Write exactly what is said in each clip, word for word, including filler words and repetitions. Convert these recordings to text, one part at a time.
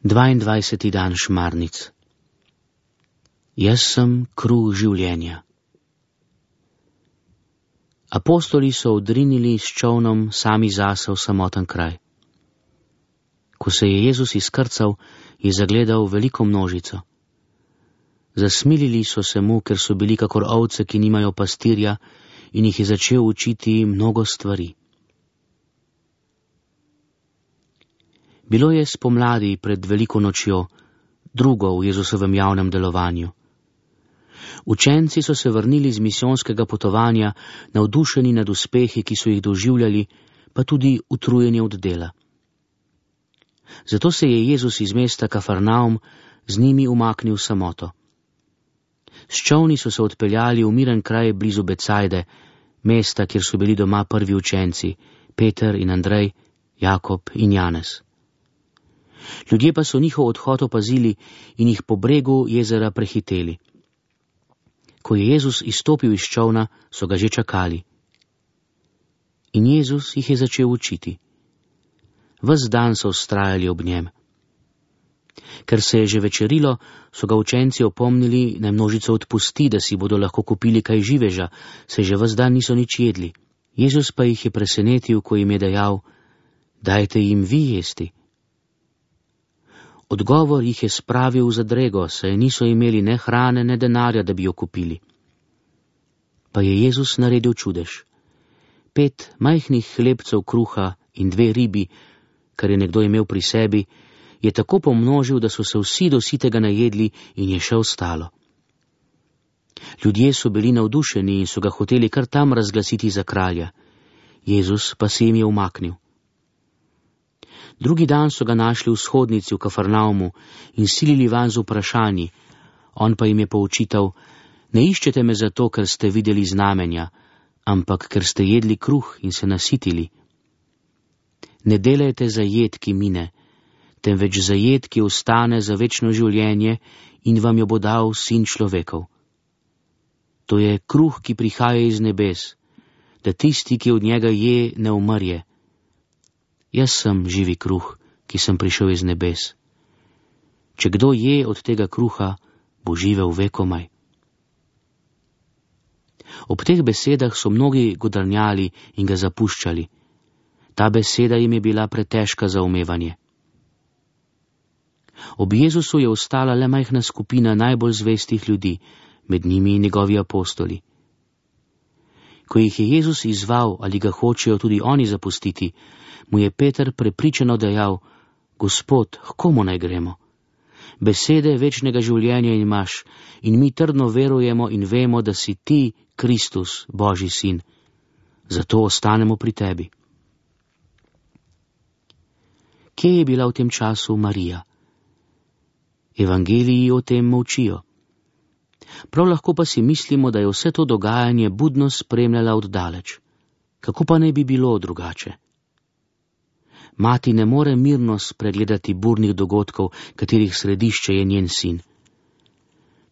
dvaindvajseti dan šmarnic. Jaz sem kruh življenja. Apostoli so odrinili s čolnom sami zase v samoten kraj. Ko se je Jezus izkrcal, je zagledal veliko množico. Zasmilili so se mu, ker so bili kakor ovce, ki nimajo pastirja, in jih je začel učiti mnogo stvari. Bilo je spomladi pred veliko nočjo, drugo v Jezusovem javnem delovanju. Učenci so se vrnili z misijonskega potovanja, navdušeni nad uspehi, ki so jih doživljali, pa tudi utrujeni od dela. Zato se je Jezus iz mesta Kafarnaum z njimi umaknil v samoto. S čolni so se odpeljali v miren kraj blizu Becajde, mesta, kjer so bili doma prvi učenci, Peter in Andrej, Jakob in Janez. Ljudje pa so njihov odhod opazili in jih po bregu jezera prehiteli. Ko je Jezus izstopil iz čolna, so ga že čakali. In Jezus jih je začel učiti. Ves dan so vztrajali ob njem. Ker se je že večerilo, so ga učenci opomnili, naj množico odpusti, da si bodo lahko kupili kaj živeža, saj že ves dan niso nič jedli. Jezus pa jih je presenetil, ko jim je dejal: dajte jim vi jesti. Odgovor jih je spravil v zadrego, saj niso imeli ne hrane, ne denarja, da bi jo kupili. Pa je Jezus naredil čudež. Pet majhnih hlebcev kruha in dve ribi, kar je nekdo imel pri sebi, je tako pomnožil, da so se vsi do sitega najedli in je še ostalo. Ljudje so bili navdušeni in so ga hoteli kar tam razglasiti za kralja. Jezus pa se jim je umaknil. Drugi dan so ga našli v shodnici v Kafarnaumu in silili van z vprašanji. On pa jim je poučital: ne iščete me zato, ker ste videli znamenja, ampak ker ste jedli kruh in se nasitili. Ne delajte za jed, ki mine, temveč za jed, ki ostane za večno življenje in vam jo bo dal Sin človekov. To je kruh, ki prihaja iz nebes, da tisti, ki od njega je, ne umrje. Jaz sem živi kruh, ki sem prišel iz nebes. Če kdo je od tega kruha, bo živel vekomaj. Ob teh besedah so mnogi godrnjali in ga zapuščali. Ta beseda jim je bila pretežka za umevanje. Ob Jezusu je ostala le majhna skupina najbolj zvestih ljudi, med njimi njegovi apostoli. Ko jih je Jezus izval, ali ga hočejo tudi oni zapustiti, mu je Peter prepričano dejal: Gospod, h komu naj gremo? Besede večnega življenja imaš in mi trdno verujemo in vemo, da si ti Kristus, Božji sin. Zato ostanemo pri tebi. Kje je bila v tem času Marija? Evangeliji o tem molčijo. Prav lahko pa si mislimo, da je vse to dogajanje budno spremljala od daleč. Kako pa naj bi bilo drugače? Mati ne more mirno spregledati burnih dogodkov, katerih središče je njen sin.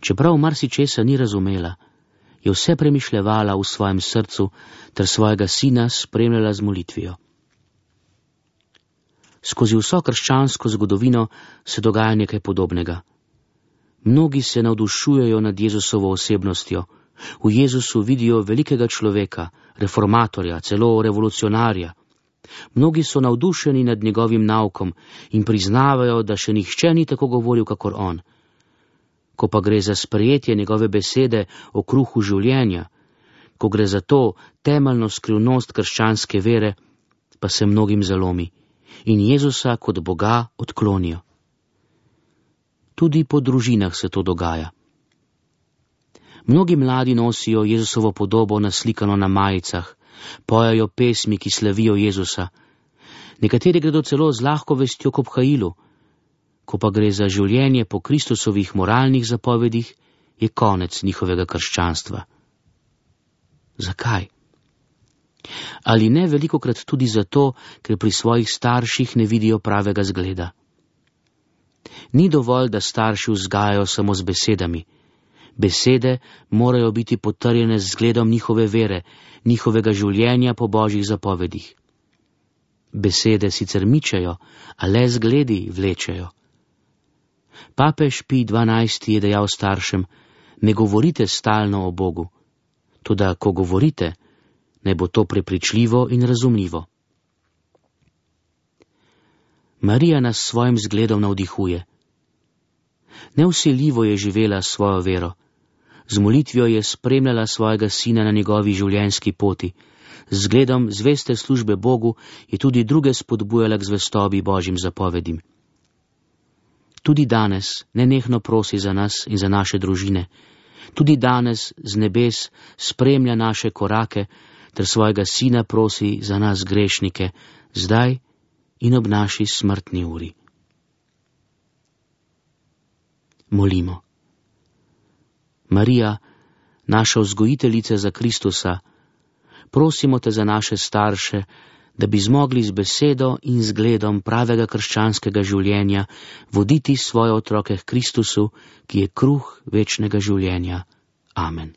Čeprav marsičesa ni razumela, je vse premišljevala v svojem srcu ter svojega sina spremljala z molitvijo. Skozi vso krščansko zgodovino se dogaja nekaj podobnega. Mnogi se navdušujejo nad Jezusovo osebnostjo. V Jezusu vidijo velikega človeka, reformatorja, celo revolucionarja. Mnogi so navdušeni nad njegovim naukom in priznavajo, da še nihče ni tako govoril kakor on. Ko pa gre za sprejetje njegove besede o kruhu življenja, ko gre za to temeljno skrivnost krščanske vere, pa se mnogim zalomi in Jezusa kot Boga odklonijo. Tudi po družinah se to dogaja. Mnogi mladi nosijo Jezusovo podobo naslikano na majicah, pojajo pesmi, ki slavijo Jezusa. Nekateri gredo celo z lahko vestjo k obhajilu. Ko pa gre za življenje po Kristusovih moralnih zapovedih, je konec njihovega krščanstva. Zakaj? Ali ne velikokrat tudi zato, ker pri svojih starših ne vidijo pravega zgleda? Ni dovolj, da starši vzgajajo samo z besedami. Besede morajo biti potrjene z zgledom njihove vere, njihovega življenja po Božjih zapovedih. Besede sicer mičejo, a le zgledi vlečejo. Papež Pij dvanajsti je dejal staršem: ne govorite stalno o Bogu, toda ko govorite, naj bo to prepričljivo in razumljivo. Marija nas s svojim zgledom navdihuje. Nevsiljivo je živela svojo vero, z molitvijo je spremljala svojega sina na njegovi življenjski poti, z zgledom zveste službe Bogu je tudi druge spodbujala k zvestobi Božjim zapovedim. Tudi danes nenehno prosi za nas in za naše družine, tudi danes z nebes spremlja naše korake, ter svojega sina prosi za nas grešnike, zdaj in ob naši smrtni uri. Molimo. Marija, naša vzgojiteljica za Kristusa, prosimo te za naše starše, da bi zmogli z besedo in zgledom pravega krščanskega življenja voditi svoje otroke k Kristusu, ki je kruh večnega življenja. Amen.